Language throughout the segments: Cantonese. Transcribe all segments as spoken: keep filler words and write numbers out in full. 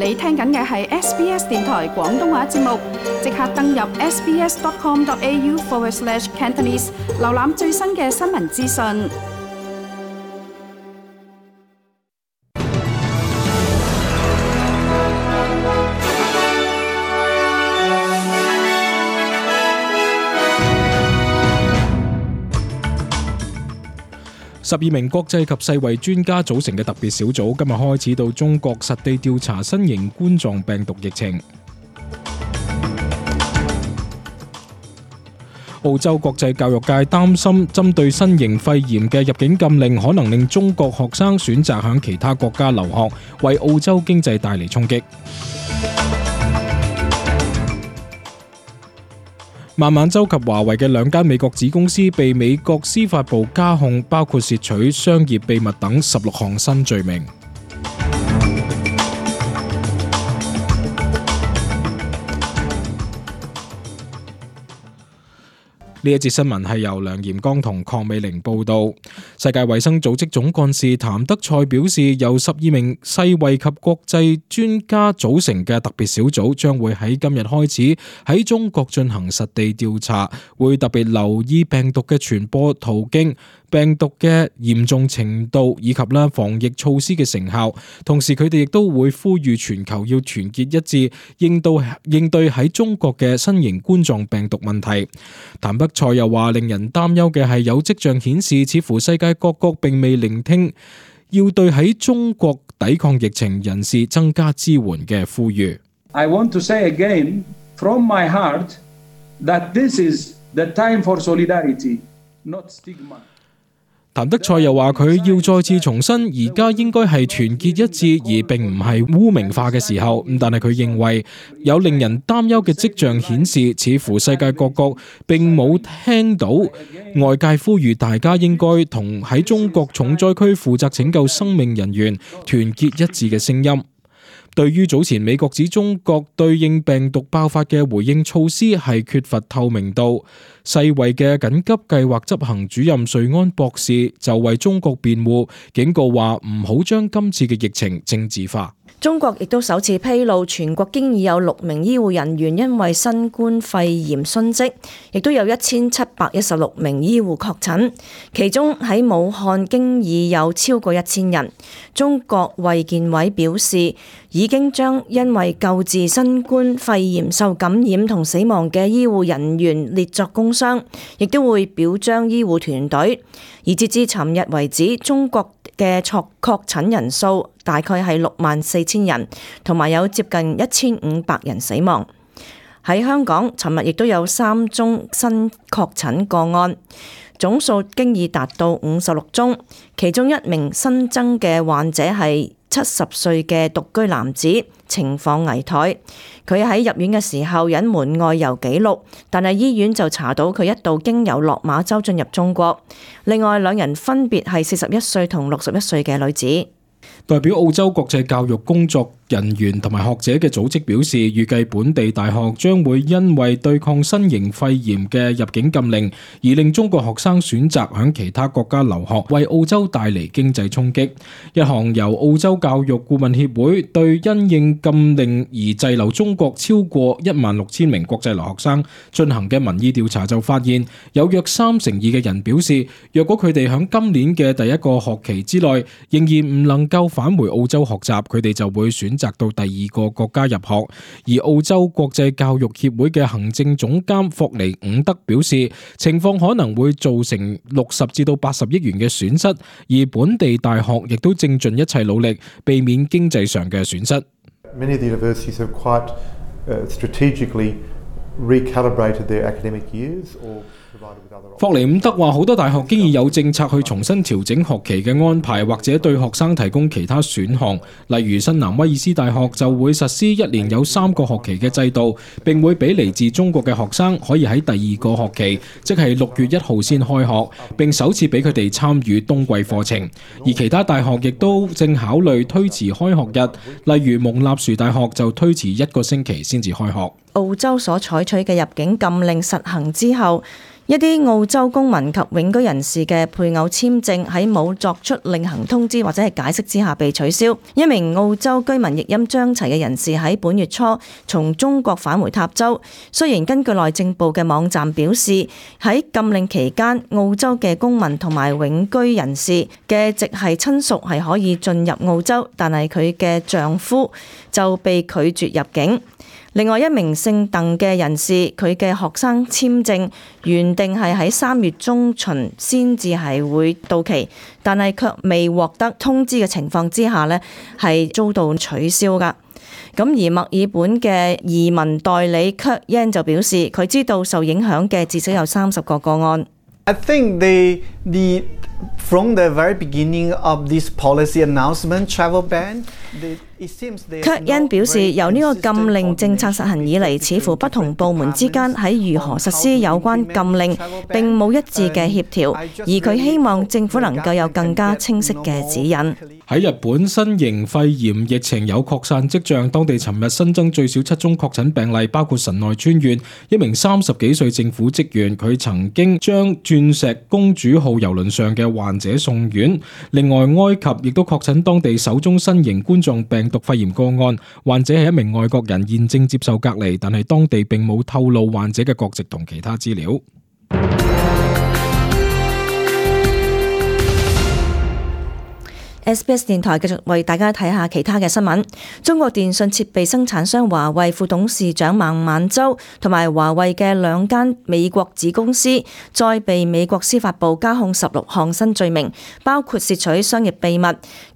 你聽緊嘅係 S B S 電台廣東話節目，即刻登入 sbs.com.au forward slash Cantonese， 瀏覽最新嘅新聞資訊。十二名國際及世衛專家組成嘅特別小組今日開始到中國實地調查新型冠狀病毒疫情。澳洲國際教育界擔心，針對新型肺炎嘅入境禁令可能令中國學生選擇向其他國家留學，為澳洲經濟帶嚟衝擊。孟晚舟及華為嘅兩間美國子公司被美國司法部加控，包括竊取商業秘密等十六項新罪名。呢一節新聞係由梁炎剛同鄺美玲報道。世界衛生組織總幹事譚德塞表示，由十二名世衛及國際專家組成嘅特別小組將會喺今日開始喺中國進行實地調查，會特別留意病毒嘅傳播途徑、病毒嘅嚴重程度以及咧防疫措施嘅成效。同時佢哋亦都會呼籲全球要團結一致，應對應對喺中國嘅新型冠狀病毒問題。譚德塞又話，令人擔憂嘅係有跡象顯示，似乎世界各國並未聆聽要對喺中國抵抗疫情人士增加支援嘅呼籲。I want to say again from my heart that this is the time for solidarity, not stigma. 譚德塞又話，佢要再次重申，而家應該係團結一致，而並唔係污名化嘅時候。但係佢認為有令人擔憂嘅跡象顯示，似乎世界各國並冇聽到外界呼籲大家應該同喺中國重災區負責拯救生命人員團結一致嘅聲音。對於早前美國指中國對應病毒爆發嘅回應措施係缺乏透明度，世衛嘅緊急計劃執行主任瑞安博士就為中國辯護，警告話唔好將今次嘅疫情政治化。中國亦都首次披露，全國經已有六名醫護人員因為新冠肺炎殉職，亦都有一千七百一十六名醫護確診，其中喺武漢經已有超過一千人。中國衛健委表示，已經將因為救治新冠肺炎受感染同死亡嘅醫護人員列作工傷，亦都會表彰醫護團隊。而截至尋日為止，中國嘅確確診人數大概係六萬四千人，同埋有接近一千五百人死亡。喺香港，尋日亦都有三宗新確診個案，總數經已達到五十六宗。其中一名新增嘅患者係七十歲嘅獨居男子，情況危殆。佢喺入院嘅時候隱瞞外遊記錄，但係醫院就查到佢一度經由落馬洲進入中國。另外兩人分別係四十一歲同六十一歲嘅女子。代表澳洲國際教育工作人員同埋學者嘅組織表示，預計本地大學將會因為對抗新型肺炎嘅入境禁令，而令中國學生選擇向其他國家留學，為澳洲帶嚟經濟衝擊。一項由澳洲教育顧問協會對因應禁令而滯留中國超過一萬六千名國際留學生進行嘅民意調查就發現，有約三成二嘅人表示，若果佢哋響今年嘅第一個學期之內仍然唔能夠返回澳洲學習，佢哋就會選擇到第二個國家入學。而澳洲國際教育協會嘅行政總監霍尼伍德表示，情況可能會造成六十至到八十億元嘅損失，而本地大學亦都正盡一切努力避免經濟上嘅損失。Many of the universities have quite uh, strategically recalibrated their academic years or霍尼伍德話，好多大學經已有政策去重新調整學期嘅安排，或者對學生提供其他選項。例如新南威爾斯大學就會實施一年有三個學期嘅制度，並會俾嚟自中國嘅學生可以喺第二個學期，即係六月一號先開學，並首次俾佢哋參與冬季課程。而其他大學亦都正考慮推遲開學日，例如蒙納殊大學就推遲一個星期先至開學。澳洲所採取嘅入境禁令實行之後，一啲澳洲公民及永居人士嘅配偶簽證喺冇作出另行通知或者係解釋之下被取消。一名澳洲居民譯音將齊嘅人士喺本月初從中國返回塔州。雖然根據內政部嘅網站表示，喺禁令期間，澳洲嘅公民同埋永居人士嘅直系親屬係可以進入澳洲，但係佢嘅丈夫就被拒絕入境。另外一名姓鄧嘅人士，佢嘅學生簽證原定係喺三月中旬先至係會到期，但係卻未獲得通知嘅情況之下呢，係遭到取消㗎。咁而墨爾本嘅移民代理 Kurt Yan 就表示，佢知道受影響嘅至少有三十個個案。I think the the from the very beginning of this policy announcement travel ban, the Kurt Yan 表示，由呢個禁令政策實行以嚟，似乎不同部門之間喺如何實施有關禁令並冇一致嘅協調，而佢希望政府能夠有更加清晰嘅指引。喺日本新型肺炎疫情有擴散跡象，當地尋日新增最少七宗確診病例，包括神奈川縣一名三十幾歲政府職員，佢曾經將鑽石公主號郵輪上嘅患者送院。另外，埃及亦都確診當地首宗新型冠狀病毒肺炎個案，患者係一名外國人，現正接受隔離，但係當地並冇透露患者嘅國籍同其他資料。S B S 電台繼續為大家睇下其他嘅新聞。中國電信設備生產商華為副董事長孟晚舟同埋華為嘅兩間美國子公司，再被美國司法部加控十六項新罪名，包括竊取商業秘密。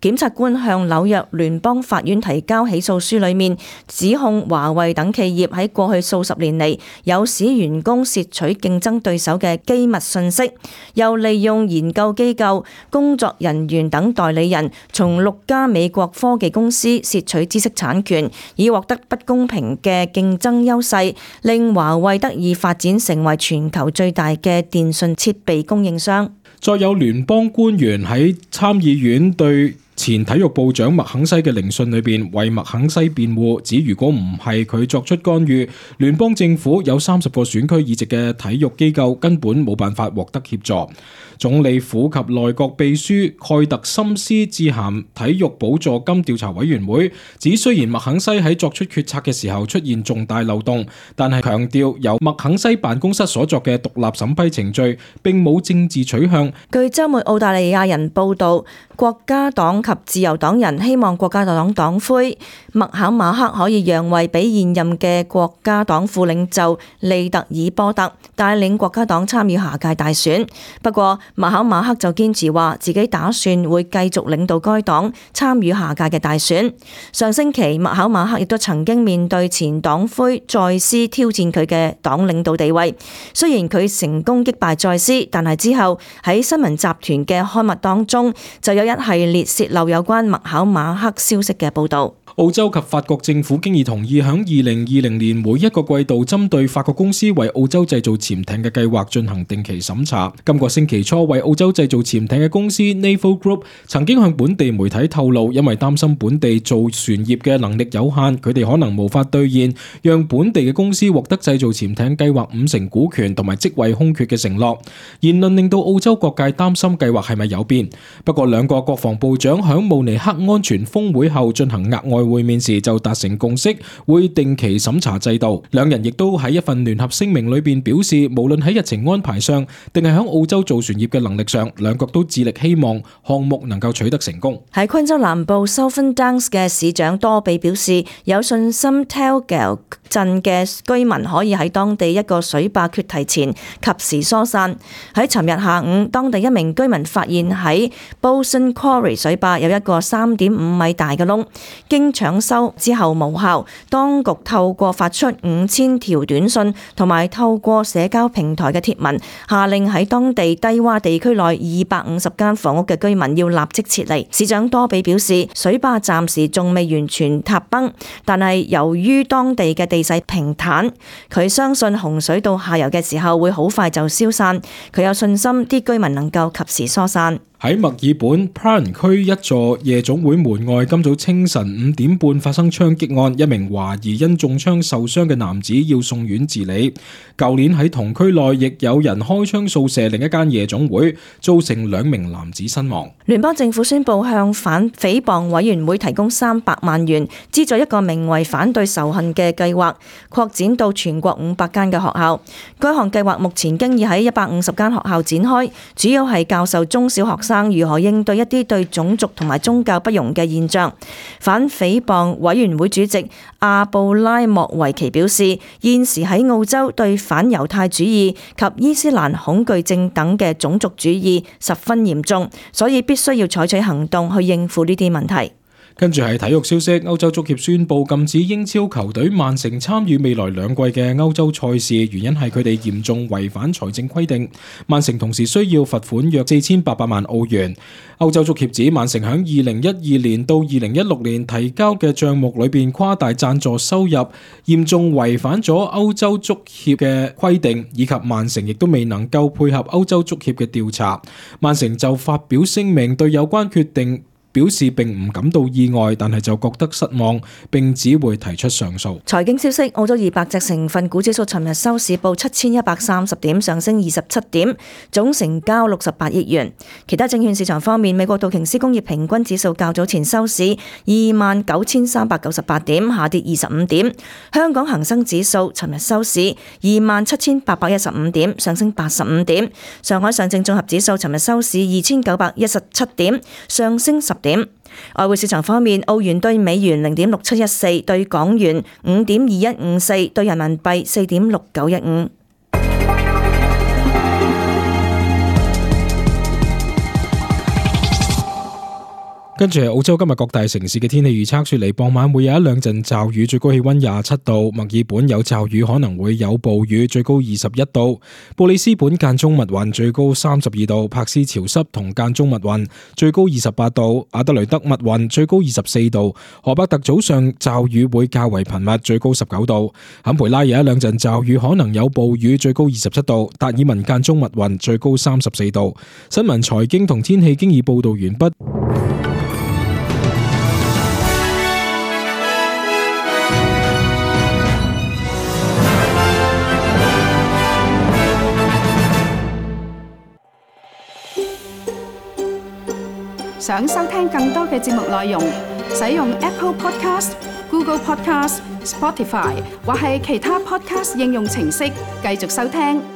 檢察官向紐約聯邦法院提交起訴書，裏面指控華為等企業喺過去數十年嚟有使員工竊取競爭對手嘅機密信息，又利用研究機構、工作人員等代理人從六家美國科技公司竊取知識產權，以獲得不公平嘅競爭優勢，令華為得以發展成為全球最大嘅電信設備供應商。再有聯邦官員喺參議院對前體育部長麥肯西嘅聆訊裏邊為麥肯西辯護，指如果唔係佢作出干預，聯邦政府有三十個選區議席嘅體育機構根本冇辦法獲得協助。總理府及內閣秘書蓋特森斯致函體育補助金調查委員會，指雖然麥肯西喺作出決策嘅時候出現重大漏洞，但係強調由麥肯西辦公室所作嘅獨立審批程序並冇政治取向。據週末澳大利亞人報導，國家黨及自由黨人希望國家黨黨魁麥考馬克可以讓位俾現任嘅國家黨副領袖利特爾波特帶領國家黨參與下屆大選。不過麥考馬克就堅持話自己打算會繼續領導該黨參與下屆嘅大選。上星期麥考馬克亦都曾經面對前黨魁再斯挑戰佢嘅黨領導地位，雖然佢成功擊敗再斯，但係之後喺新聞集團嘅刊物當中就有一系列洩漏有關麥考馬克消息嘅報導。澳洲及法國政府經已同意響二零二零年每一個季度針對法國公司為澳洲製造潛艇嘅計劃進行定期審查。今個星期初，為澳洲製造潛艇嘅公司 Naval Group 曾經向本地媒體透露，因為擔心本地造船業嘅能力有限，佢哋可能無法兌現讓本地嘅公司獲得製造潛艇計劃五成股權同埋職位空缺嘅承諾。言論令到澳洲各界擔心計劃係咪有變。不過兩個國防部長響慕尼黑安全峰會後進行額外會面時就達成共識，會定期審查制度。兩人亦都喺一份聯合聲明裏邊表示，無論喺日程安排上，定係喺澳洲造船業嘅能力上，兩國都致力希望項目能夠取得成功。喺昆州南部 Southern Downs 嘅市長多比表示，有信心 Talgale 鎮嘅居民可以喺當地一個水壩決堤前及時疏散。喺尋日下午，當地一名居民發現喺 Bolson Quarry 水壩有一個三點五米大嘅窿，經搶修之後無效，當局透過發出五千條短信同埋透過社交平台嘅貼文，下令喺當地低洼地區內二百五十間房屋嘅居民要立即撤離。市長多比表示，水壩暫時仲未完全塌崩，但係由於當地嘅地勢平坦，佢相信洪水到下游嘅時候會好快就消散。佢有信心啲居民能夠及時疏散。喺墨爾本 Prahran 區一座夜總會門外，今早清晨五點半發生槍擊案，一名懷疑因中槍受傷嘅男子要送院治理。舊年喺同區內亦有人開槍掃射另一間夜總會，造成兩名男子身亡。聯邦政府宣布向反誹謗委員會提供三百萬元，資助一個名為反對仇恨嘅計劃，擴展到全國五百間嘅學校。該項計劃目前經已喺一百五十間學校展開，主要係教授中小學生如何應對一啲對種族同埋宗教不容嘅現象。反誹謗委員會主席阿布拉莫維奇表示，現時喺澳洲對反猶太主義及伊斯蘭恐懼症等嘅種族主義十分嚴重，所以必須要採取行動去應付呢啲問題。跟住係體育消息，歐洲足協宣布禁止英超球隊曼城參與未來兩季嘅歐洲賽事，原因係佢哋嚴重違反財政規定。曼城同時需要罰款約四千八百萬澳元。歐洲足協指曼城響二零一二年到二零一六年提交嘅賬目裏邊誇大贊助收入，嚴重違反咗歐洲足協嘅規定，以及曼城亦都未能夠配合歐洲足協嘅調查。曼城就發表聲明對有關決定表示並唔感到意外，但係就覺得失望，並只會提出上訴。財經消息，澳洲二百隻成分股指數尋日收市報七千一百三十點，上升二十七點，總成交六十八億元。其他證券市場方面，美國道瓊斯工業平均指數較早前收市二萬九千三百九十八點，下跌二十五點。香港恒生指數尋日收市二萬七千八百一十五點，上升八十五點。上海上證綜合指數尋日收市二千九百一十七點，上升十點。外匯市場方面，澳元兌美元零點六七一四，兌港元五點二一五四，兌人民幣四點六九一五。跟住係澳洲今日各大城市嘅天氣預測，雪梨傍晚會有一兩陣驟雨，最高氣溫廿七度；墨爾本有驟雨，可能會有暴雨，最高二十一度；布里斯本間中密雲，最高三十二度；柏斯潮濕同間中密雲，最高二十八度；阿德雷德密雲，最高二十四度；荷伯特早上驟雨會較為頻密，最高十九度；坎培拉有一兩陣驟雨，可能有暴雨，最高二十七度；達爾文間中密雲，最高三十四度。新聞、財經同天氣經已報道完畢。想收聽更多嘅節目內容，使用 Apple Podcast、Google Podcast、Spotify 或係其他 Podcast 應用程式繼續收聽。